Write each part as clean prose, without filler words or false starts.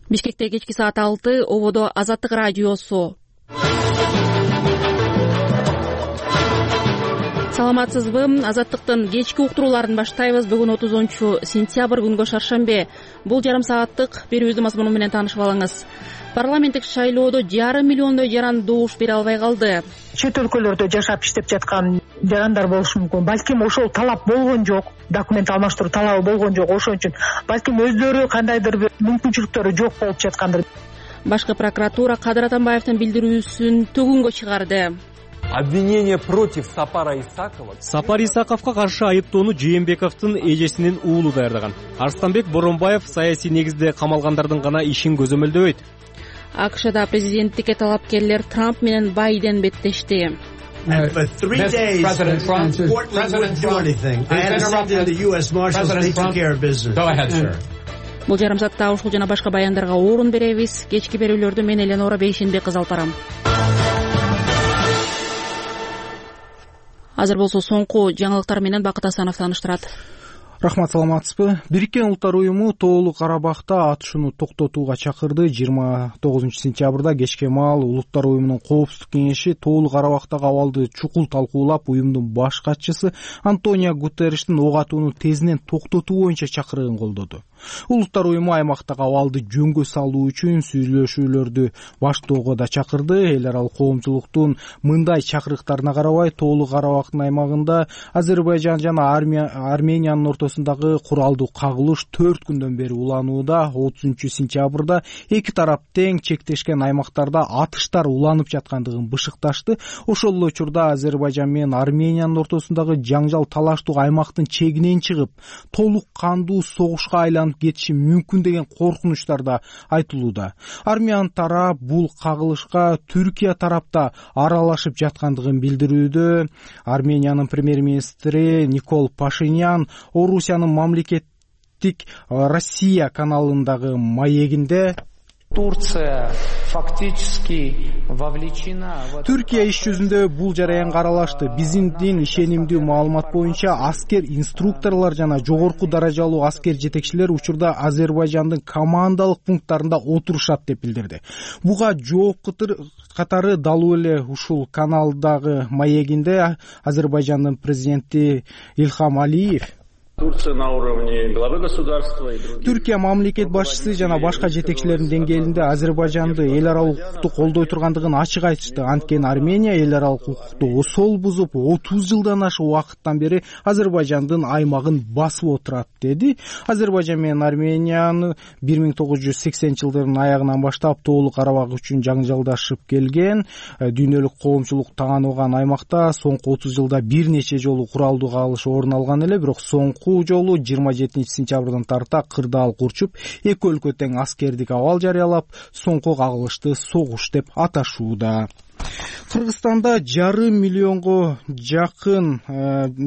Бишкекте кечки саат 6 ободо Азаттык радиосу. Саламатсызбы? Азаттыктын кечки уктурууларын баштайбыз. Бүгүн 30-сентябрь күнгө шаршембе. Бул жарым сааттык берүүбүздүн мазмуну менен таанышып алыңыз. Парламенттик шайлоодо 1,5 миллиондой жаран добуш бере албай калды. Чет өлкөлөрдө жашап иштеп жаткан жарандар болушу мүмкүн. Балким ошол талап болгон жок, документ алмаштыруу талабы болгон жок. Ошон үчүн балким өздөрү кандайдыр бир мүмкүнчүлүктөрү жок болуп жаткандыр. Башкы прокуратура Кадыр Атамбаевдин билдирүүсүн төгүнгө чыгарды. Обвинение против Сапара Исакова. Сапар Исаковго каршы айыптоону Жээнбековдун эжесинин уулу даярдаган. Арстанбек Боронбаев саясий негизде камалгандардын гана ишин көзөмөлдөбөйт. АКШда президенттикке талапкерлер Трамп менен Байден беттешти. For 3 days, President Trump wouldn't do anything. I had to send in the U.S. Marshals. They took care of business. Go ahead, sir. Бул жарым саатта ушул жана башка баяндарга орун беребиз. Кечки берүүлөрдү мен Эленора Бейшенбек кызы алып барам. Азыр болсо соңку жаңылыктар менен Бакыт Асанов тааныштырат. Рахмат, саламатсызбы? Бириккен Улуттар уюму Тоолук Карабакта атышууну токтотууга чакырды. 29-сентябрда кечке маал Улуттар уюмунун коопсуздук кеңеши Тоолук Карабактагы абалды чукул талкуулап, уюмдун баш катчысы Антонио Гутерриштин ок атууну тезинен токтотуу боюнча чакырыгын колдоду. Улуттар уюму аймактагы абалды жөнгө салуу үчүн сүйлөшүүлөрдү баштоого да чакырды. Эл аралык коомчулуктун мындай чакырыктарына карабай, Тоолук Карабактын аймагында Азербайжан жана Армениянын ортосундагы куралдуу кагылыш 4 күндөн бери уланууда. 30-сентябрда эки тарап тең чектешкен аймактарда атыштар уланып жаткандыгын бышыкташты. Ошол эле учурда Азербайжан менен Армениянын ортосундагы жаңжал талаштуу аймактын чегинен чыгып, толук кандуу согушка айланып кетиши мүмкүн деген коркунучтар да айтылууда. Армян тарап бул кагылышка Түркия тарапта аралашып жаткандыгын билдирүүдө. Армениянын премьер-министри Никол Пашинян Орусиянын мамлекеттик Россия каналындагы маегинде Турция фактически вовлечена. Түркия иш жүзүндө бул жараянга аралашты. Биздин ишенимдүү маалымат боюнча аскер инструкторлор жана жогорку даражалуу аскер жетекчилер учурда Азербайжандын командалык пункттарында отурушат деп билдирди. Буга жооп катары далуу эле ушул каналдагы маегинде Азербайжандын президенти Ильхам Алиев Турция на уровне главы государства и других. Түркия мамлекет башчысы жана башка жетекчилердин деңгээлинде Азербайжанды эл аралык укукту колдой тургандыгын ачык айтышты. Анткени Армения эл аралык укукту осол бузуп, 30 жылдан ашык убакыттан бери Азербайжандын аймагын басып отурат, деди. Азербайжан менен Арменияны 1980-жылдардын аягынан баштап Тоолук Карабак үчүн жаңжалдашып келген. Дүйнөлүк коомчулук таанылган аймакта соңку 30 жылда бир нече жолу куралдуу кагылыш орун алган эле, бирок соңку жолу 27-сентябрдан тарта кырдаал курчуп, эки өлкө тең аскердик абал жарыялап, соңку кагылышты согуш деп аташууда. Кыргызстанда 1,5 миллионго жакын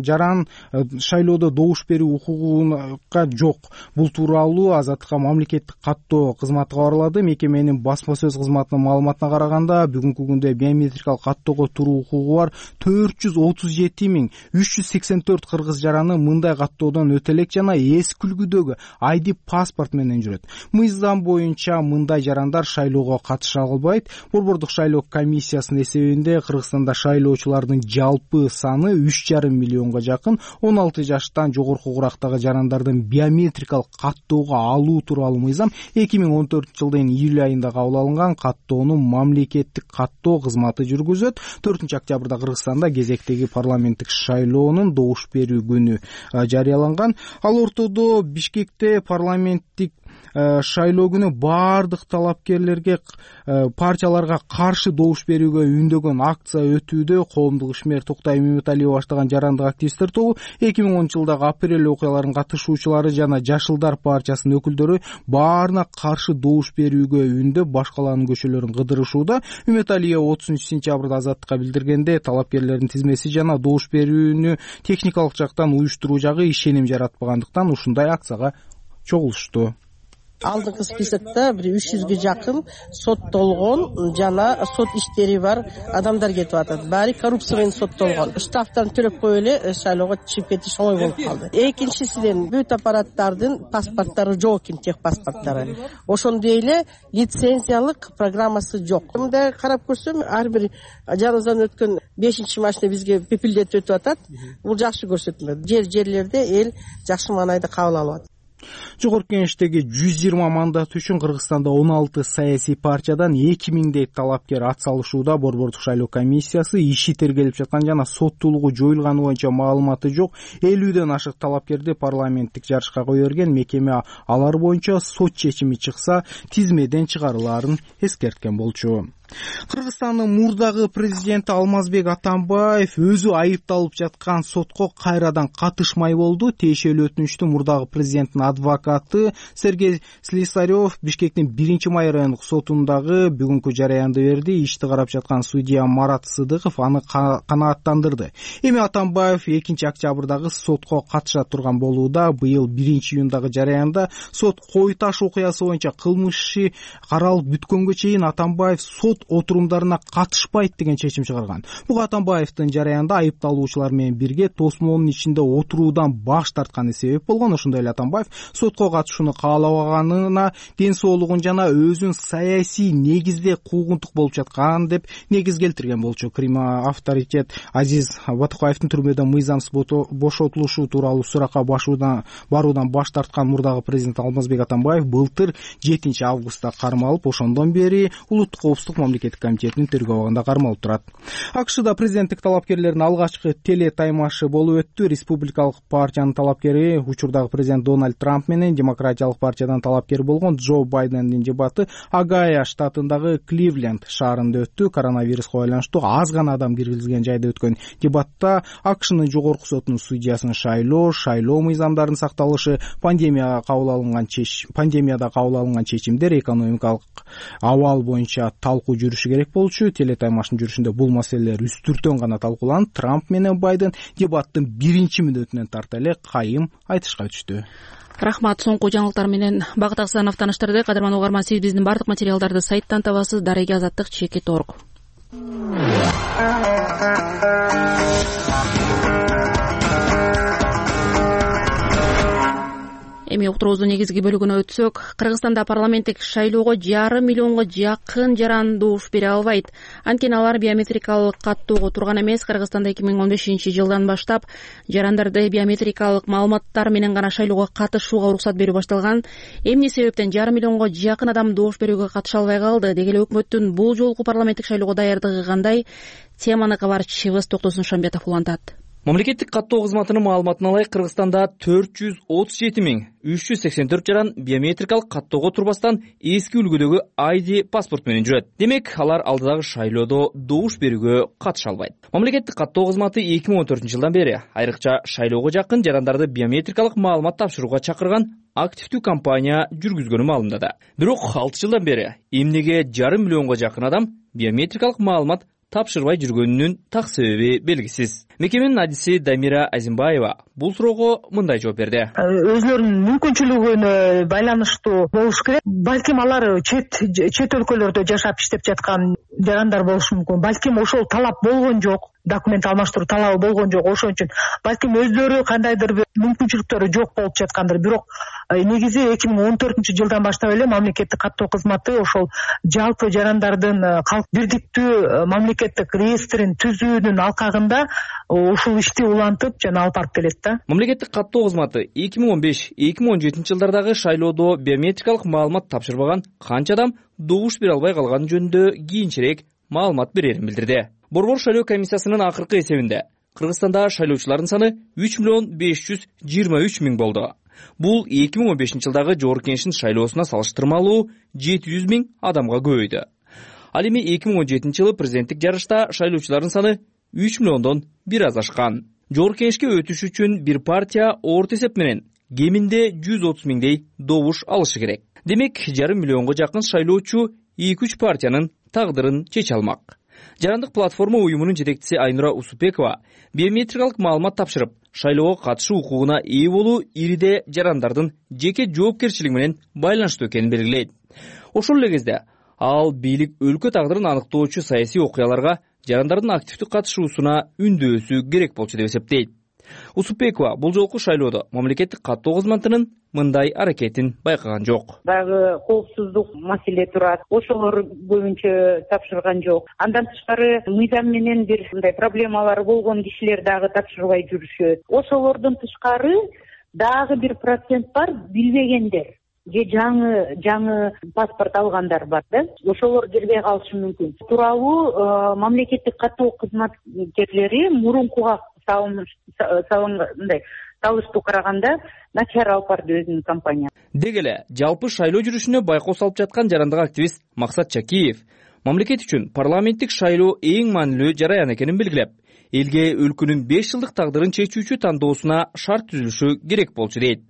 жаран шайлоодо добуш берүү укугуга жок. Бул тууралуу Азаттыкка мамлекеттик каттоо кызматы кабарлады. Мекеменин басма сөз кызматынын маалыматына караганда, бүгүнкү күндө биометрикалык каттоого туруу укугу бар 437.384 кыргыз жараны мындай каттоодон өтө элек жана эс күлгүдөгү ID паспорт менен жүрөт. Мыйзам боюнча мындай жарандар шайлоого катыша албайт. Борбордук шайлоо комиссиясынын эсебинде Кыргызстанда шайлоочулардын жалпы саны 3,5 миллионго жакын. 16 жаштан жогорку курактагы жарандардын биометрикалык каттоого алуу тууралуу мыйзам 2014-жылдын июль айында кабыл алынган. Каттоону мамлекеттик каттоо кызматы жүргүзөт. 4-октябрда Кыргызстанда кезектеги парламенттик шайлоонун добуш берүү күнү жарыяланган. Ал ортодо Бишкекте парламенттик шайлоо күнү бардык талапкерлерге партияларга каршы добуш берүүгө үндөгөн акция өтүүдө. Коомдук ишмер Токтай Меметалиева баштаган жарандык активисттер тобу 2010-жылдагы апрель окуяларынын катышуучулары жана Жашылдар партиясынын өкүлдөрү баарына каршы добуш берүүгө үндөп, башкаларынын көчөлөрүн кыдырышууда. Меметалиева 30-сентябрда Азаттыкка билдиргенде, талапкерлердин тизмеси жана добуш берүүнү техникалык жактан уюштуруу жагы ишеним жаратпагандыктан ушундай акцияга чогулушту. алдыңкы списокто бир 300ге жакын соттолгон жана сот иштери бар адамдар кетип атат. Баары коррупция менен соттолгон. Штрафтарын төлөп коюп эле шайлоого чыгып кетиш оңой болуп калды. Экинчисинен бүт аппараттардын паспорттары жок экен, тех паспорттары. Ошондой эле лицензиялык программасы жок. Мындай карап көрсөм, ар бир жаныбыздан өткөн 5-чи машина бизге пепилдетип өтүп атат. Бул жакшы көрсөтмө. Жерлерде эл жакшы маанайда кабыл алып атат. Жогорку Кеңештеги 120 мандат үчүн Кыргызстанда 16 саясий партиядан 2000дей талапкер ат салышууда. Борбордук шайлоо комиссиясы иши тергелип жаткан жана соттуулугу жоюлганы боюнча маалыматы жок 50ден ашык талапкерди парламенттик жарышка кое берген. Мекеме алар боюнча сот чечими чыкса тизмеден чыгарылаарын эскерткен болчу. Кыргызстандын мурдагы президенти Алмазбек Атамбаев өзү айыпталып жаткан сотко кайрадан катышмай болду. Тиешелүү өтүнүштү мурдагы президенттин адвокаты Сергей Слесарев Бишкектин 1-май райондук сотундагы бүгүнкү жараянды берди. Ишти карап жаткан судья Марат Сыдыков аны канааттандырды. Эми Атамбаев 2-октябрдагы сотко катыша турган болууда. Быйыл 1-июндагы жараянда сот Кой Таш окуясы боюнча кылмыш иши каралып бүткөнгө чейин Атамбаев сот отурумдарына катышпайт деген чечим чыгарган. Буга Атамбаевдин жараянда айыпталуучулар менен бирге тосмонун ичинде отуруудан баш тартканы себеп болгон. Ошондой эле Атамбаев сотко катышууну каалабаганына ден соолугун жана өзүн саясий негизде куугунтук болуп жаткан деп негиз келтирген болчу. Крим авторитет Азиз Батыкбаевдин түрмөдөн мыйзамсыз бошотулушу тууралуу суракка баруудан баш тарткан мурдагы президент Алмазбек Атамбаев былтыр 7-августта кармалып, ошондон бери улуттук коопсуздук мамлекеттик комитетинин тергөө абагында кармалып турат. АКШда президенттик талапкерлердин алгачкы теле таймашы болуп өттү. Республикалык партиянын талапкери учурдагы президент Дональд Трамп менен Демократиялык партиядан талапкер болгон Джо Байдендин дебаты Огайо штатындагы Кливленд шаарында өттү. Коронавируска байланыштуу аз гана адам киргизилген жайда өткөн дебатта АКШнын жогорку сотунун судьясын шайлоо мыйзамдарын сакталышы, пандемияда кабыл алынган чечимдер, экономикалык абал боюнча талкуу жүрүшү керек болчу. Телетаймаштын жүрүшүндө бул маселелер үстүртөн гана талкууланып, Трамп менен Байден дебаттын 1-мүнөтүнөн тарта эле кайым айтышка өтүштү. Рахмат. Соңку жаңылыктар менен Багыт Аксанов таныштырды. Кадырман угарман, сиз биздин бардык материалдарды сайттан табасыз. Дареги Азаттык @org. Эми уктуруубуздун негизги бөлүгүнө өтсөк, Кыргызстанда парламенттик шайлоого 1,5 миллионго жакын жаран добуш бере албайт. Анткени алар биометрикалык каттоого турган эмес. Кыргызстанда 2015-жылдан баштап жарандарды биометрикалык маалыматтар менен гана шайлоого катышууга уруксат берүү башталган. Эмне себептен 1,5 миллионго жакын адам добуш берүүгө катыша албай калды? Деги эле өкмөттүн бул жолку парламенттик шайлоого даярдыгы кандай? Теманы кабарчыбыз Токтосун Шамбетов улантат. Мамлекеттик каттоо кызматынын маалыматына ылайык Кыргызстанда 437.384 жаран биометрикалык каттоого турбастан эски үлгүдөгү ID паспорт менен жүрөт. Демек, алар алдыдагы шайлоодо добуш берүүгө катыша албайт. Мамлекеттик каттоо кызматы 2014-жылдан бери айрыкча шайлоого жакын жарандарды биометрикалык маалымат тапшырууга чакырган активдүү кампания жүргүзгөнү маалымдады. Бирок 6 жылдан бери эмнеге 1,5 миллионго жакын адам биометрикалык маалымат тапшырбай жүргөнүнүн так себеби белгисиз. Мекеменин адиси Дамира Азимбаева бул суроого мындай жооп берди. Өзлөрүнүн мүмкүнчүлүгүнө байланыштуу болуш керек. Балким алар чет өлкөлөрдө жашап иштеп жаткан жарандар болушу мүмкүн. Балким ошол талап болгон жок. Документ алмаштыруу талабы болгон жок. Ошон үчүн балким өздөрү кандайдыр бир мүмкүнчүлүктөрү жок болуп жаткандыр. Бирок негизи 2014-жылдан баштап эле мамлекеттик каттоо кызматы ошол жалпы жарандардын калк бирдиктүү мамлекеттик реестрин түзүүнүн алкагында ушул ишти улантып жана алып барып келет да. Мамлекеттик каттоо кызматы 2015-2017 жылдардагы шайлоодо биометрикалык маалымат тапшырбаган канча адам добуш бере албай калганы жөнүндө кийинчерээк маалымат берерин билдирди. Борбор шайлоо комиссиясынын акыркы эсебинде Кыргызстанда шайлоочулардын саны 3,523,000 болду. Бул 2015-жылдагы Жогорку Кеңештин шайлоосуна салыштырмалуу 700,000 адамга көбөйдү. Ал эми 2017-жылы президенттик жарышта шайлоочулардын саны 3 миллиондон бир аз ашкан. Жогорку Кеңешке өтүш үчүн бир партия орто эсеп менен кеминде 130,000дей добуш алышы керек. Демек, 1,5 миллионго жакын шайлоочу 2-3 партиянын тагдырын чече алмак. Жарандык платформа уюмунун жетекчиси Айнура Усупекова биометрикалык маалымат тапшырып, шайлоого катышуу укугуна ээ болуу ириде жарандардын жеке жоопкерчилиги менен байланыштуу экенин белгилейт. Ошол эле кезде ал бийлик өлкө тагдырын аныктоочу саясий окуяларга жарандардын активдүү катышуусуна үндөсү керек болчу деп эсептейт. Усупбекова бул жолку шайлоодо мамлекеттик каттоо кызматынын мындай аракетин байкаган жок. Дагы коопсуздук маселе турат. Ошолор боюнча тапшырган жок. Андан тышкары мыйзам менен бир мындай проблемалары болгон кишилер дагы тапшырбай жүрүшөт. Ошолордон тышкары дагы бир процент бар, билбегендер же жаңы паспорт алгандар бар да. Ошолор кирбей калышы мүмкүн. Тууралуу мамлекеттик каттоо кызматкерлери мурункуга салыштуу караганда начар алып барды өзүнүн компания. Деги эле жалпы шайлоо жүрүшүнө байкоо салып жаткан жарандык активист Максат Чакиев мамлекет үчүн парламенттик шайлоо эң маанилүү жараян экенин белгилеп, элге өлкөнүн 5 жылдык тагдырын чечүүчү тандоосуна шарт түзүлүшү керек болчу дейт.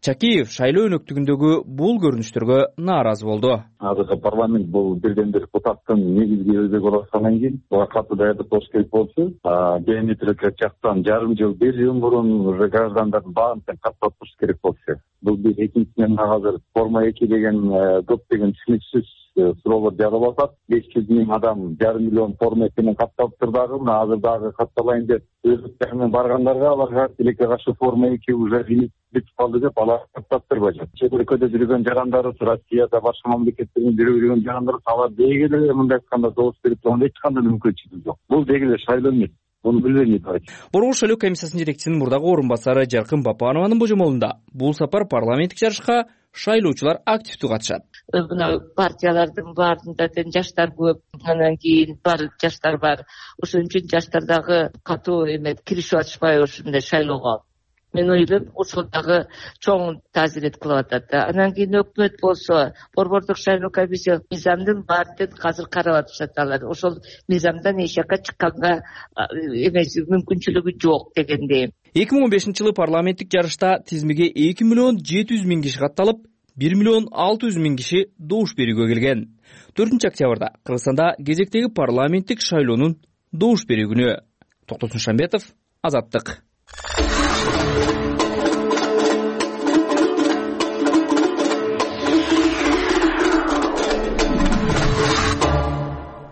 Чакиев шайлоо өнөктүгүндөгү бул көрүнүштөргө нааразы болду. Азыркы парламент бул бирден бир депутаттын негизги өзөгү болуп аткандан кийин буга катуу даярдык болуш керек болчу. Геометрик жактан жарым жыл, 1 жыл мурун уже граждандардын баарын каттап туруш керек болчу. Бул бир. Экинчиден азыр форма 2 деген көптөгөн түшүнүксүз суроолор жаралып атат. 500 000 адам жарым миллион форма менен катталыптыр дагы. Азыр дагы катталайын деп өздүктөр менен баргандарга аларга тилекке каршы форма 2 уже бүтүп калды деп алар каттаптырбайт. Чет өлкөдө жүргөн жарандарыбыз, Россияда башка мамлекеттерден жүргөн жарандарыбыз алар деги эле мындай айтканда добус берип турганда эч кандай мүмкүнчүлүк жок. Бул деги эле шайлоо эмес. Борбор шайлоо комиссиясынын жетекчисинин мурдагы орун басары Жаркын Бапанованын божомолунда бул сапар парламенттик жарышка шайлоочулар активдүү катышат. Мына партиялардын баарында тең жаштар көп, андан кийин бар жаштар бар. Ошон үчүн жаштардагы катуу киришип атышпайбы ушундай шайлоого. Мен ойлойм, ошол дагы чоң таасирет кылып атат да. Андан кийин өкмөт болсо, борбордук шайлоо комиссия мыйзамдын баарын азыр карап атышат алар. Ошол мыйзамдан эч жакка чыкканга эмес мүмкүнчүлүгү жок дегендей. 2015-жылы парламенттик жарышта тизмеге 2 миллион 700 миң киши катталып, 1 миллион 600 миң киши добуш берүүгө келген. 4 октябрда Кыргызстанда кезектеги парламенттик шайлоонун добуш берүү күнү. Токтосун Шамбетов, Азаттык.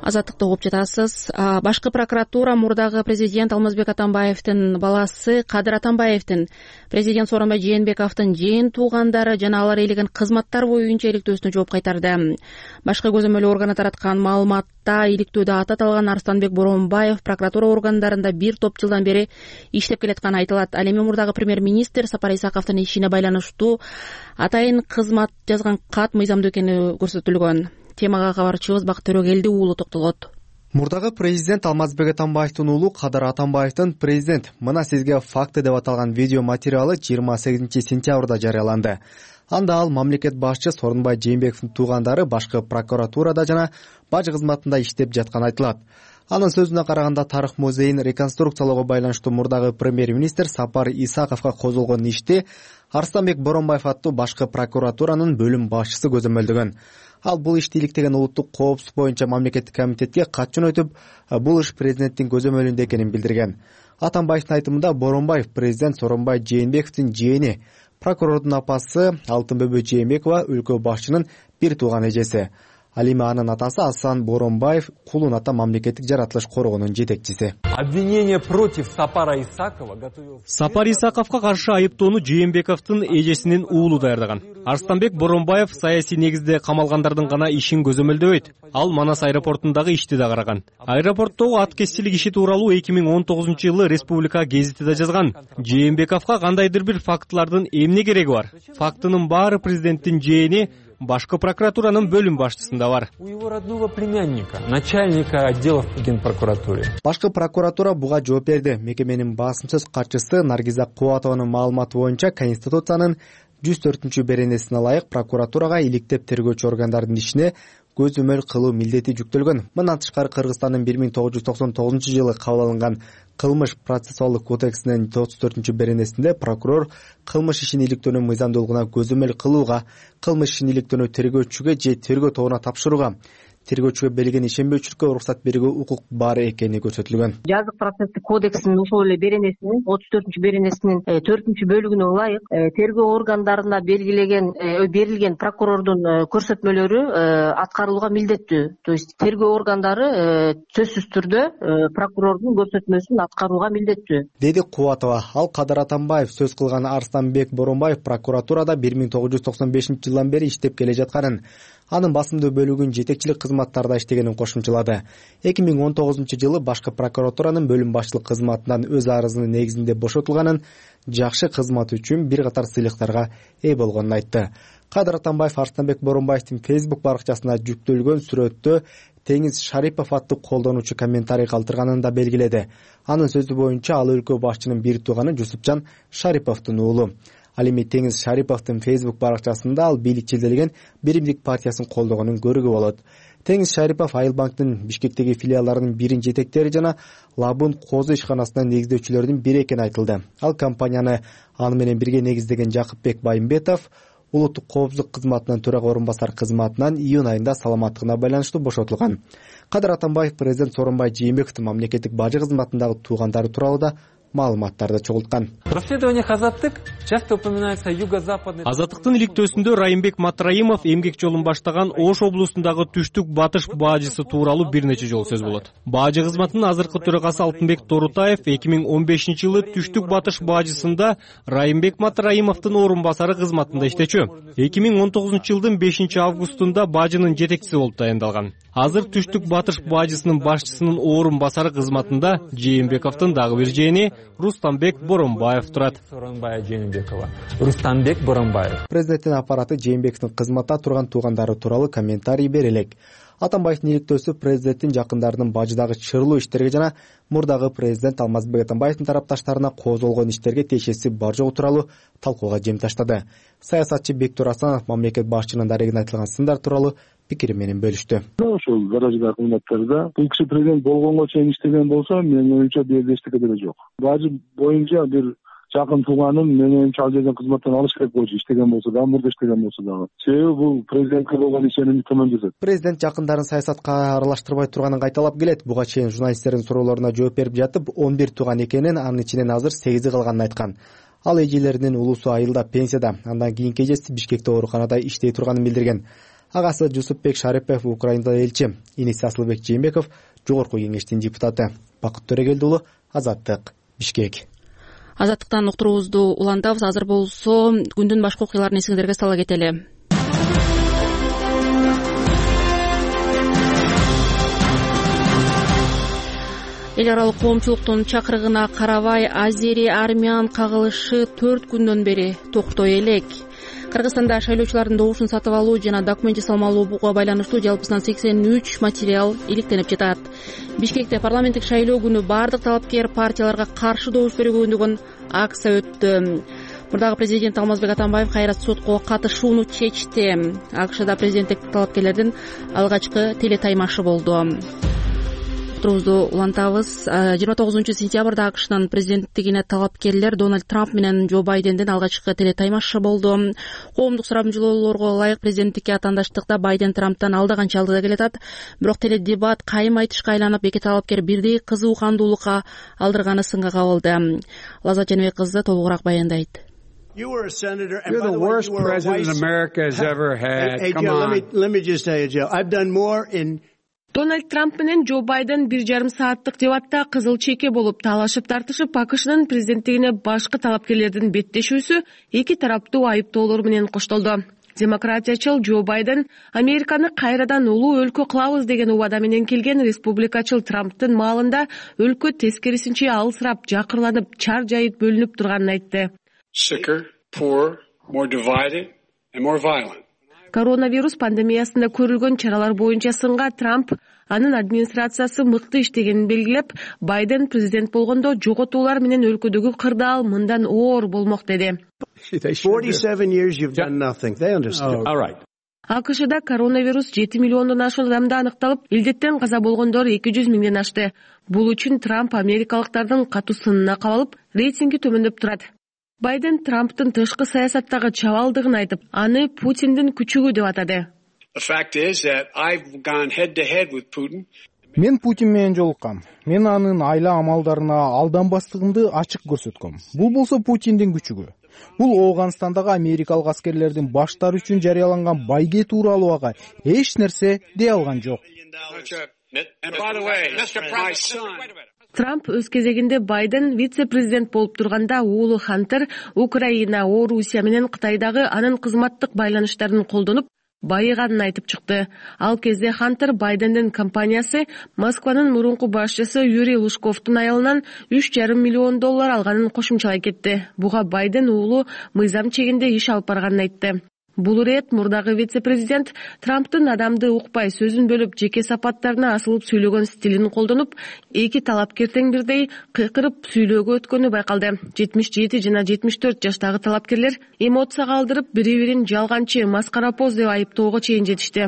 Азаттыкты угуп жатасыз. Башкы прокуратура мурдагы президент Алмазбек Атамбаевдин баласы Кадыр Атамбаевдин, президент Сооронбай Жээнбековдун жээн туугандары жана алар ээлеген кызматтар боюнча иликтөөсүнө жооп кайтарды. Башкы көзөмөл органы тараткан маалыматта иликтөөдө аты аталган Арстанбек Боронбаев прокуратура органдарында бир топ жылдан бери иштеп келатканы айтылат. Ал эми мурдагы премьер-министр Сапар Исаковдун ишине байланыштуу атайын кызмат жазган кат мыйзамдуу экени көрсөтүлгөн. Темага кабарчыбыз Бакыт Төрөгелди уулу токтолот. Мурдагы президент Алмазбек Атамбаевдин уулу Кадыр Атамбаевдин президент мына сизге факты деп аталган видео материалы 28 сентябрда жарыяланды. Анда ал мамлекет башчы Сооронбай Жээнбековдун туугандары башкы прокуратурада жана бажы кызматында иштеп жатканы айтылат. Анын сөзүнө караганда тарых музейин реконструкциялоого байланыштуу мурдагы премьер-министр Сапар Исаковго козголгон ишти Арстанбек Боронбаев аттуу башкы прокуратуранын бөлүм башчысы көзөмөлдөгөн. Ал бул ишти иликтеген улуттук коопсуздук боюнча мамлекеттик комитетке кат жөнөтүп, бул иш президенттин көзөмөлүндө экенин билдирген. Атамбаевдин айтымында Боронбаев президент Сооронбай Жээнбековдун жээни, прокурордун апасы Алтынбөбө Жээнбекова өлкө башчынын бир тууган эжеси. Ал эми анын атасы Асан Боронбаев Кулун ата мамлекеттик жаратылыш коргоонун жетекчиси. Обвинение против Сапара Исакова готовил. Сапар Исаковго каршы айыптоону Жээнбековдун эжесинин уулу даярдаган. Арстанбек Боронбаев саясий негизде камалгандардын гана ишин көзөмөлдөбөйт. Ал Манас аэропортундагы ишти да караган. Аэропорттогу ат кесчилик иши тууралуу 2019-жылы Республика гезитиде жазган. Жээнбековго кандайдыр бир фактылардын эмне кереги бар? Фактынын баары президенттин жээни башкы прокуратуранын бөлүм башчысында бар. У его родного племянника, начальника отдела в Генпрокуратуре. Башкы прокуратура буга жооп берди. Мекеменин басым сөз катчысы Наргиза Кубатованын маалыматы боюнча Конституциянын 104 беренесине ылайык прокуратурага иликтеп тергөөчү органдардын ишине көзөмөл кылуу милдети жүктөлгөн. Мындан тышкары Кыргызстандын 1999-жылы кабыл алынган кылмыш процессуалдык кодексинин 34 беренесинде прокурор кылмыш ишин иликтөөнүн мыйзамдуулугуна көзөмөл кылууга, кылмыш ишин иликтөөнү тергөөчүгө же тергөө тобуна тапшырууга, тергөөчүгө берилген ишенбөөчүлүккө уруксат берүүгө укук бар экени көрсөтүлгөн. Жазык процесстик кодекстин ошол эле беренесинин 34 беренесинин 4 бөлүгүнө ылайык тергөө органдарына берилген прокурордун көрсөтмөлөрү аткарылууга милдеттүү. То есть тергөө органдары сөзсүз түрдө прокурордун көрсөтмөсүн аткарууга милдеттүү, деди Кубатова. Ал Кадыр Атамбаев сөз кылган Арстанбек Боронбаев прокуратурада 1995 жылдан бери иштеп келе жатканын, анын басымдуу бөлүгүн жетекчилик кызматтарда иштегенин кошумчалады. 2019 жылы башкы прокуратуранын бөлүм башчылык кызматынан өз арызынын негизинде бошотулганын, жакшы кызматы үчүн бир катар сыйлыктарга ээ болгонун айтты. Кадыр Атамбаев Арстанбек Боронбаевдин Facebook баракчасына жүктөлгөн сүрөттө Теңиз Шарипов аттуу колдонуучу комментарий калтырганын да белгиледи. Анын сөзү боюнча ал өлкө башчынын бир тууганы Жусупжан Шариповдун уулу. Ал эми Теңиз Шариповдун Facebook баракчасында ал бийликчилдеген Биримдик партиясын колдогонун көрүүгө болот. Теңиз Шарипов Айыл банктын Бишкектеги филиалдарынын бирин жетектери жана Лабун Козу ишканасынын негиздөөчүлөрүнүн бири экени айтылды. Ал компанияны аны менен бирге негиздеген Жакыпбек Байымбетов улуттук коопсуздук кызматынын төрага орун басар кызматынан июнь айында саламаттыгына байланыштуу бошотулган. Кадыр Атамбаев президент Сооронбай Жээнбековдун мамлекеттик бажы кызматындагы туугандары тууралуу да маалыматтарды чогулткан. В расследованиях Азаттык часто упоминается юго-западный. Азаттыктын иликтөөсүндө Райымбек Матраимов эмгек жолун баштаган Ош облусундагы түштүк батыш баажысы тууралуу бир нече жолу сөз болот. Баажы кызматынын азыркы төрагасы Алтынбек Торутаев 2015 жылы түштүк батыш баажысында Райымбек Матраимовдун орун басары кызматында иштечү. 2019 жылдын 5 августунда баажынын жетекчиси болуп таяндалган. Азыр түштүк батыш баажысынын башчысынын орун басары кызматында Жээнбековдун дагы бир жээни Рустамбек Боронбаев турат. Сооронбай Жээнбекова, Рустамбек Боронбаев. Президенттин аппараты Жээнбековдун кызматта турган туугандары тууралуу комментарий бере элек. Атамбаевдин иликтөөсү президенттин жакындарынын бажыдагы чырлуу иштерге жана мурдагы президент Алмазбек Атамбаевдин тарапташтарына козголгон иштерге тиешеси бар жогу тууралуу талкууга жем таштады. Саясатчы Бектур Асанов мамлекет башчынын дарегине айтылган сындар тууралуу пикири менен бөлүштү. Ошол гараждагы кызматтарда бул киши президент болгонго чейин иштеген болсо, менин оюмча бул эчтеке деле жок. Бажы боюнча бир жакын тууганым менин оюмча ал жерден кызматтан алыш керек болчу, иштеген болсо дагы, мурда иштеген болсо дагы. Себеби бул президентке болгон ишенимди төмөндөтөт. Президент жакындарын саясатка аралаштырбай турганын кайталап келет. Буга чейин журналисттердин суроолоруна жооп берип жатып, 11 тууган экенин, анын ичинен азыр 8 калганын айткан. Ал эжелеринин улусу айылда пенсияда, андан кийинки эжеси Бишкекте ооруканада иштей турганын билдирген. Агасы Жусупбек Шарипов Украинада элчи, иниси Асылбек Жээнбеков жогорку кеңештин депутаты. Бакыт Төрөгелди уулу, Азаттык, Бишкек. Азаттыктан уктуруубузду улантабыз. Азыр болсо күндүн башка окуяларын эсиңиздерге сала кетели. Эл аралык коомчулуктун чакырыгына карабай азери армян кагылышы 4 күндөн бери токтой элек. Кыргызстанда шайлоочулардын добушун сатып алуу жана документ жасалмалууга байланыштуу жалпысынан 83 материал иликтенип жатат. Бишкекте парламенттик шайлоо күнү бардык талапкер партияларга каршы добуш берүүгө үндөгөн акция өттү. Мурдагы президент Алмазбек Атамбаев кайра сотко катышууну чечти. АКШда президенттик талапкерлердин алгачкы телетаймашы болду. Уктуруубузду улантабыз. 29 сентябрда АКШнын президенттигине талапкерлер Дональд Трамп менен Джо Байдендин алгачкы телетаймашы болду. Коомдук сурамжылоолорго ылайык президенттикке атандаштыкта Байден Трамптан алда канча алдыда келатат. Бирок теледебат кайым айтышка айланып, эки талапкер бирдей кызуукандуулукка алдырганы сынга кабылды. Лаззат Жаныбек кызы толугураак баяндайт. You're the worst president America has ever had. Come on. Let me just tell you, Joe, I've done more in Дональд Трамп менен Джо Байден 1,5 сааттык дебатта кызыл чеке болуп талашып тартышып, АКШнын президенттигине башкы талапкерлердин беттешүүсү эки тараптуу айыптоолор менен коштолду. Демократиячыл Джо Байден Американы кайрадан улуу өлкө кылабыз деген убада менен келген республикачыл Трамптын маалында өлкө тескерисинче алысырап, жакырланып, чар жайыт бөлүнүп турганын айтты. Sicker, poorer, more divided and more violent. Коронавирус пандемиясында көрүлгөн чаралар боюнча сынга Трамп анын администрациясы мыкты иштегенин белгилеп, Байден президент болгондо жоготуулар менен өлкөдөгү кырдаал мындан оор болмок деди. 47 years you've done nothing. They understood. All right. АКШда коронавирус 7 миллиондон ашуун адамда аныкталып, илдеттен каза болгондор 200 миңден ашты. Бул үчүн Трамп америкалыктардын катуу сынына кабылып, рейтинги төмөндөп турат. Байден Трамптын тышкы саясаттагы чабалдыгын айтып, аны Путиндин күчүгү деп атады. The fact is that I've gone head to head with Putin. Мен Путин менен жолуккам. Мен анын айла амалдарына алданбастыгымды ачык көрсөткөм. Бул болсо Путиндин күчүгү. Бул Ооганстандагы америкалык аскерлердин баштары үчүн жарыяланган байге тууралуу ага эч нерсе дей алган жок. Трамп өз кезегинде Байден вице-президент болуп турганда уулу Хантер Украина, Орусия менен Кытайдагы анын кызматтык байланыштарын колдонуп, байыганын айтып чыкты. Ал кезде Хантер Байдендин компаниясы Москванын мурунку башчысы Юрий Лужковдун аялынан $3,5 миллион алганын кошумчалай кетти. Буга Байден уулу мыйзам чегинде иш алып барганын айтты. Бул ирет мурдагы вице-президент Трамптын адамды укпай сөзүн бөлүп, жеке сапаттарына асылып сүйлөгөн стилин колдонуп, эки талапкер тең бирдей кыйкырып сүйлөөгө өткөнү байкалды. 77 жана 74 жаштагы талапкерлер эмоцияга алдырып, бири-бирин жалганчы, маскарапоз деп айыптоого чейин жетишти.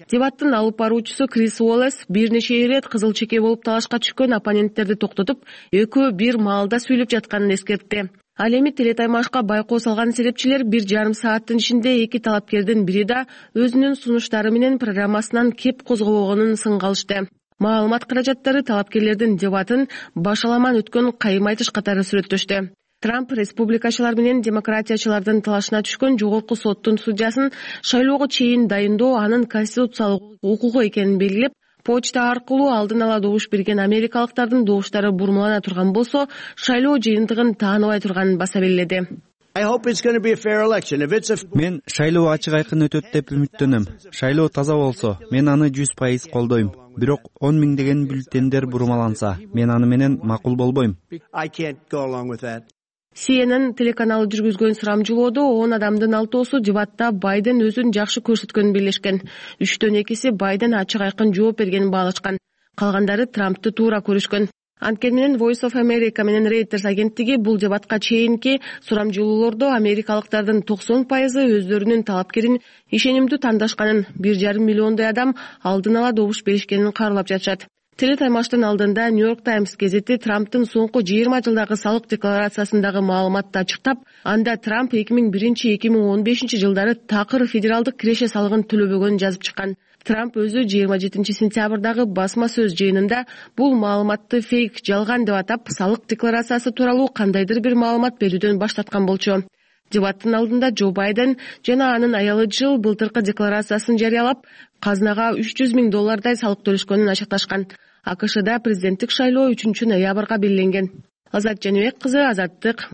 Дебаттын алып баруучусу Крис Уоллес бир нече ирет кызыл чеке болуп талашка түшкөн оппоненттерди токтотуп, экөө бир маалда сүйлөп жатканын эскертти. Ал эми телетаймашка байкоо салган серепчилер 1,5 сааттын ичинде эки талапкердин бири да өзүнүн сунуштары менен программасынан кеп козгобогонун сынга алышты. Маалымат каражаттары талапкерлердин дебатын башаламан өткөн кайым айтыш катары сүрөттөштү. Трамп республикачылар менен демократиячылардын талашына түшкөн жогорку соттун судьясын шайлоого чейин дайындоо анын конституциялык укугу экенин белгилеп, почта аркылуу алдын ала добуш берген америкалыктардын добуштары бурмалана турган болсо, шайлоо жыйынтыгын тааныбай турганын баса белгиледи. Мен шайлоо ачык айкын өтөт деп үмүттөнөм. Шайлоо таза болсо, мен аны 100% колдойм. Бирок 10 миңдеген бюллетендер бурмаланса, мен аны менен макул болбойм. CNN телеканалы жүргүзгөн сурамжылоодо 10 адамдын 6-оосу дебатта Байден өзүн жакшы көрсөткөнүн бирлешкен. 3төн 2си Байден ачык айкын жооп бергенин баалашкан. Калгандары Трампты туура көрүшкөн. Анткени менен Voice of America менен Reuters агенттиги бул дебатка чейинки сурамжылоолордо америкалыктардын 90% өздөрүнүн талапкерин ишенимдүү тандашканын, 1,5 миллиондой адам алдын ала добуш беришкенин каарылап жатышат. Телетаймаштын алдында New York Times газети Трамптын соңку 20 жылдагы салык декларациясындагы маалыматты ачыктап, анда Трамп 2001-2015 жылдары такыр федералдык киреше салыгын төлөбөгөнүн жазып чыккан. Трамп өзү 27 сентябрдагы басма сөз жыйынында бул маалыматты фейк, жалган деп атап, салык декларациясы тууралуу кандайдыр бир маалымат берүүдөн баш тарткан болчу. Дебаттын алдында Джо Байден жана анын аялы Джилл былтыркы декларациясын жарыялап, казынага $300 миң салык төлөшкөнүн ачыкташкан. АКШда президенттик шайлоо 3-ноябрга белгиленген. Азат Жаныбек кызы, Азаттык.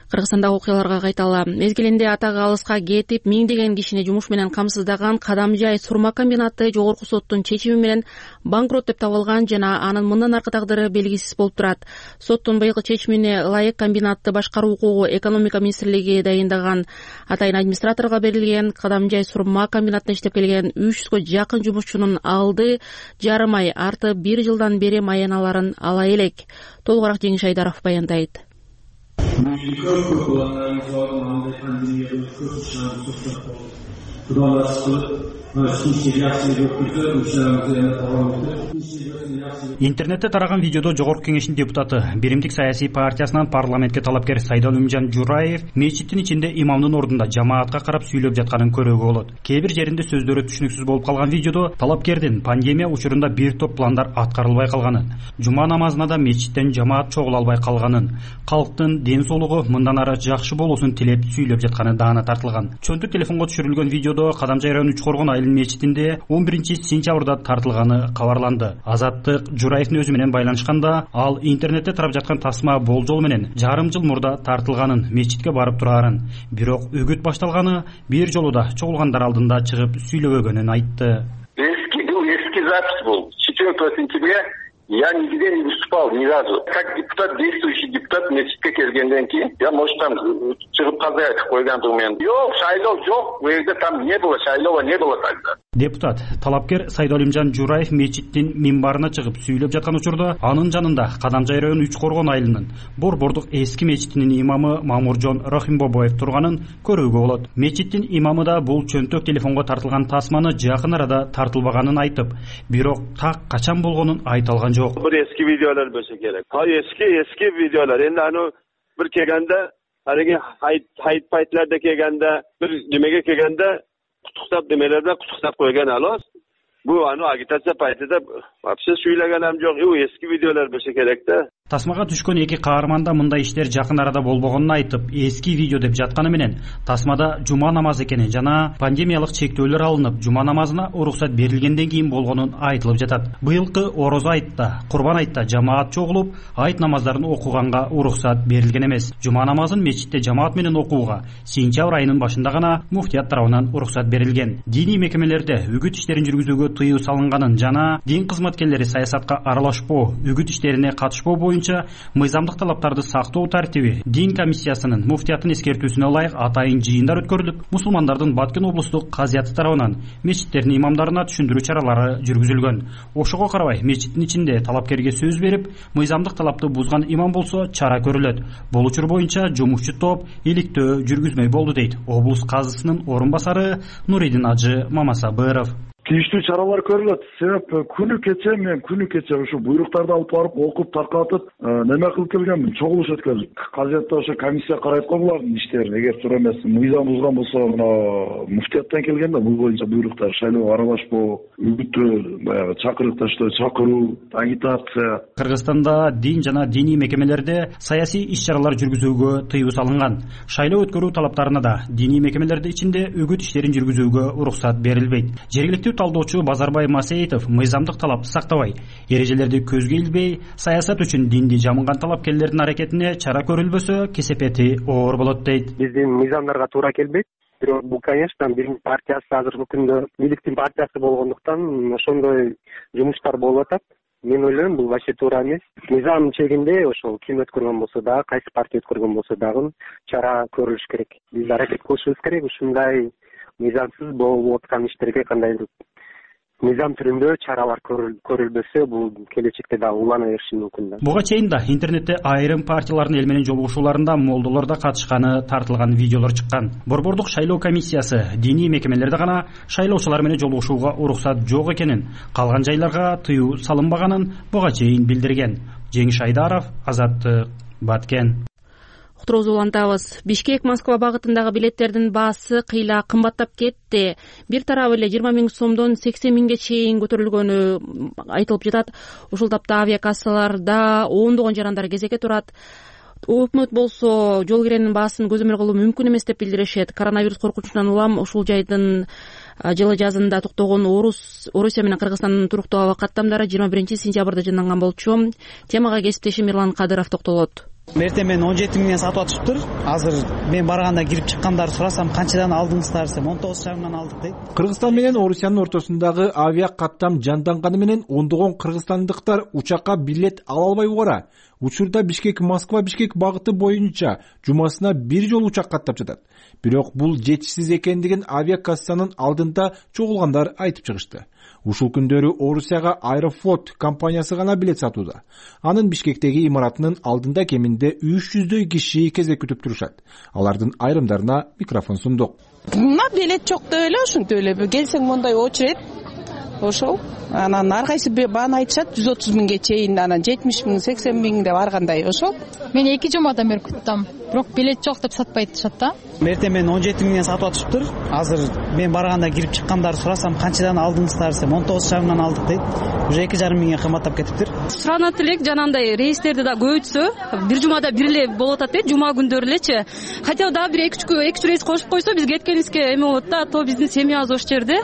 Кыргызстандагы окуяларга кайталы. Мезгилинде атак алыска кетип, миңдеген кишини жумуш менен камсыздаган Кадамжай сурма комбинаты жогорку соттун чечими менен банкрот деп табылган жана анын мындан аркы тагдыры белгисиз болуп турат. Соттун быйылкы чечимине ылайык комбинатты башкаруу укугу экономика министрлиги дайындаган. Атайын администраторго берилген Кадамжай сурма комбинатында иштеп келген 300гө жакын жумушчунун алды жарым ай, арты 1 жылдан бери маяналарын ала элек. Толугураак Жеңиш Айдаров баяндайт. Интернетте тараган видеодо Жогорку Кеңештин депутаты, Биримдик саясий партиясынан парламентке талапкер Сайда Алимжан Жураев мечиттин ичинде имамдын ордунда жамаатка карап сүйлөп жатканын көрүүгө болот. Кээ бир жеринде сөздөрү түшүнүксүз болуп калган видеодо талапкердин пандемия учурунда бир топ пландар аткарылбай калганын, жума намазына да мечиттен жамаат чогула албай калганын, калктын ден соолугу мындан ары жакшы болуусун тилеп сүйлөп жатканы даана тартылган. Чөнтүк телефонго түшүрүлгөн видеодо Кадамжай району Үчкоргон айыл мечитинде 11-сентябрда тартылганы кабарланды. Азаттык Жураевдин өзү менен байланышканда, ал интернетте тарап жаткан тасма болжол менен жарым жыл мурда тартылганын, мечитке барып турарын, бирок үгүт башталганы бир жолу да чогулгандар алдында чыгып сүйлөбөгөнүн айтты. Эски запись был. 4 сентября я нигде не выступал ни разу. Как депутат, действующий депутат, мечитке келгенден кийин, я, может, там чыгып калбай айтып койгондугум мен. Жок, шайлоо жок, бу жерде там не было, шайлоо не было тогда. Депутат, талапкер Сайда Алимжан Жураев мечиттин минбарына чыгып сүйлөп жаткан учурда анын жанында Кадамжай району Үчкоргон айылынын Борбордук эски мечитинин имамы Мамуржон Рахимбобоев турганын көрүүгө болот. Мечиттин имамы да бул чөнтөк телефонго тартылган тасманы жакын арада тартылбаганын айтып, бирок так качан болгонун айта алган жок. Бир эски видеолор болсо керек. Эски видеолор. Эми аны бир келгенде Анан айтпайтларда келгенде бир немеге келгенде куттуктап немелерде куттуктап койгон алабыз. Bu agitatsiya paytida вообще сүйлөгөнүм жок. Эски видеолор болсо керек да. Тасмага түшкөн эки каарманда мындай иштер жакын арада болбогонун айтып, эски видео деп жатканы менен тасмада жума намазы экени жана пандемиялык чектөөлөр алынып, жума намазына уруксат берилгенден кийин болгонун айтылып жатат. Быйылкы Орозо айтта, Курбан айтта жамаат чогулуп, айт намаздарын окуганга уруксат берилген эмес. Жума намазын мечитте жамаат менен окууга сентябрь айынын башында гана муфтият тарабынан уруксат берилген. Диний мекемелерде үгүт иштерин жүргүзүүгө тыюу салынганын жана дин кызматкерлери саясатка аралашпоо, үгүт иштерине катышпоо боюнча мыйзамдык талаптарды сактоо тартиби дин комиссиясынын муфтияттын эскертүүсүнө ылайык атайын жыйындар өткөрүлүп, мусулмандардын Баткен облустук казыяты тарабынан мечиттердин имамдарына түшүндүрүү чаралары жүргүзүлгөн. Ошого карабай мечиттин ичинде талапкерге сөз берип, мыйзамдык талапты бузган имам болсо чара көрүлөт. Бул учур боюнча жумушчу топ иликтөө жүргүзмөй болду дейт облус казысынын орун басары Нуридин Ажы Мамасабыров. Тийиштүү чаралар көрүлөт. Себеп күнү кече ушу буйруктарды алып барып окуп таркатып неме кылып келгенмин, чогулуш өткөрдүк. Казиятта ошо комиссия карайт го булардын иштерин. Эгер туура эмес мыйзам бузган болсо, мына муфтияттан келген да бул боюнча буйруктар шайлоого аралашпоо, үгүттөө, баягы чакырыкташтоо, чакыруу, агитация. Кыргызстанда дин жана диний мекемелерде саясий иш-чаралар жүргүзүүгө тыюу салынган. Шайлоо өткөрүү талаптарына да диний мекемелердин ичинде үгүт иштерин жүргүзүүгө уруксат берилбейт. Жергиликтүү талдоочу Базарбай Масеитов мыйзамдык талапты сактабай, эрежелерди көзгө илбей, саясат үчүн динди жамынган талапкерлердин аракетине чара көрүлбөсө, кесепети оор болот дейт. Биздин мыйзамдарга туура келбейт. Бирок бул, конечно, биздин партиясы азыркы күндө бийликтин партиясы болгондуктан ошондой жумуштар болуп атат. Мен ойлойм, бул вообще туура эмес. Мыйзам чегинде ошол ким өткөргөн болсо дагы, кайсы партия өткөргөн болсо дагы чара көрүлүш керек. Биз аракет кылышыбыз керек ушундай мыйзамсыз болуп аткан иштерге кандайдыр мыйзам түрүндө чаралар көрүлбөсө, бул келечекте дагы улана бериши мүмкүн. Буга чейин да интернетте айрым партиялардын эл менен жолугушууларында молдолор да катышканы тартылган видеолор чыккан. Борбордук шайлоо комиссиясы диний мекемелерде гана шайлоочулар менен жолугушууга уруксат жок экенин, калган жайларга тыюу салынбаганын буга чейин билдирген. Жеңиш Айдаров, Азаттык, Баткен. Уктуруубузду улантабыз. Бишкек-Москва багытындагы билеттердин баасы кыйла кымбаттап кетти. Бир тарабы эле 20 000 сомдон 80 000ге чейин көтөрүлгөнү айтылып жатат. Ушул тапта авиакассаларда ондогон жарандар кезекке турат. Өкмөт болсо жол киренин баасын көзөмөл кылуу мүмкүн эмес деп билдиришет. Коронавирус коркунучунан улам ушул жайдын жылы жазында токтогон Орусия менен Кыргызстандын туруктуу аба каттамдары 21 сентябрда жыйналган болчу. Темага кесиптешим Мирлан Кадыров токтолот. Эртең мен 17 000ден сатып атышыптыр. Азыр мен барганда кирип чыккандарды сурасам, канчадан алдыңыздар десем, 19,5 мыңдан алдык дейт. Кыргызстан менен Орусиянын ортосундагы авиа каттам жанданганы менен ондогон кыргызстандыктар учакка билет ала албай убара. Учурда Бишкек-Москва Бишкек багыты боюнча жумасына бир жолу учак каттап жатат. Бирок бул жетишсиз экендигин авиакассанын алдында чогулгандар айтып чыгышты. Ушул күндөрү Орусияга Аэрофлот компаниясы гана билет сатууда. Анын Бишкектеги имаратынын алдында кеминде 300дөй киши кезек күтүп турушат. Алардын айрымдарына микрофон сундук. Мына билет жок деп эле, ушинтип эле келсең мондай очередь. Ошол. Анан ар кайсы бааны айтышат 130 000ге чейин, анан 70 000, 80 000 деп аргандай. Ошол. Мен 2 жумадан бери күттүм. Бирок билет жок деп сатпай атышат да. Эртең мен 17 000ден сатып атышыптыр. Азыр мен барганда кирип чыккандарды сурасам, канчадан алдыңыздар десем, 19,5 мыңдан алдык дейт. Уже 2,5 миңге кымбаттап кетиптир. Суранат элек жанагындай рейстерди да көбөйтсө, бир жумада бир эле болуп атат дейт, жума күндөрү элечи. Хотя да бир 2-3 рейс кошуп койсо, биз кеткенибизге эме болот да, то биздин семьябыз ошол жерде.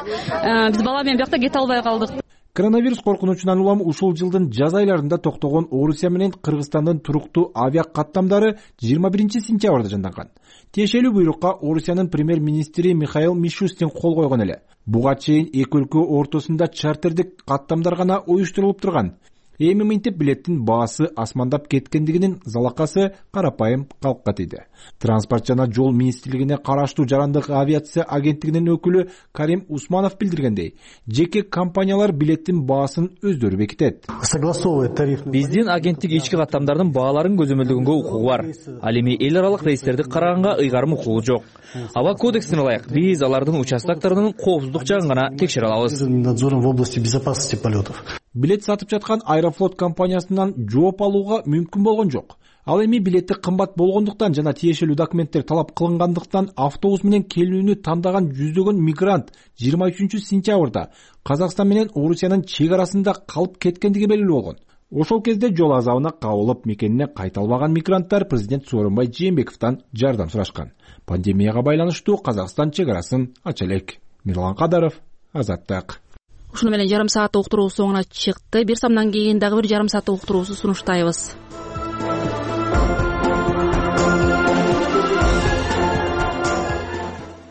Биз бала менен биякта кете албай калдык. Коронавирус коркунучунан улам ушул жылдын жаз айларында токтогон Орусия менен Кыргызстандын туруктуу авиа каттамдары 21 сентябрда жанданган. Тиешелүү буйрукка Орусиянын премьер-министри Михаил Мишустин кол койгон эле. Буга чейин эки өлкө ортосунда чартердик каттамдар гана уюштурулуп турган. Эми мынтип билеттин баасы асмандап кеткендигинин залакасы карапайым калкка тийди. Транспорт жана жол министрлигине караштуу жарандык авиация агенттигинин өкүлү Карим Усманов билдиргендей, жеке компаниялар билеттин баасын өздөрү бекитет. Биздин агенттик ички каттамдардын бааларын көзөмөлдөгөнгө укугу бар. Ал эми эл аралык рейстерди караганга ыйгарым укугу жок. Аба кодексине ылайык биз алардын участокторунун коопсуздук жагын гана текшере алабыз. Билет сатып жаткан Аэрофлот компаниясынан жооп алууга мүмкүн болгон жок. Ал эми билети кымбат болгондуктан жана тиешелүү документтер талап кылынгандыктан автобус менен келүүнү тандаган жүздөгөн мигрант 23-сентябрда Казакстан менен Орусиянын чек арасында калып кеткендиги белгилүү болгон. Ошол кезде жол азабына кабылып мекенине кайта албаган мигранттар президент Сооронбай Жээнбековдон жардам сурашкан. Пандемияга байланыштуу Казакстан чек арасын ача элек. Мирлан Кадаров, Азаттык. Ушуну менен жарым сааттык уктуруубуз соңуна чыкты. Бир самдан кийин дагы бир жарым сааттык уктуруубузду сунуштайбыз.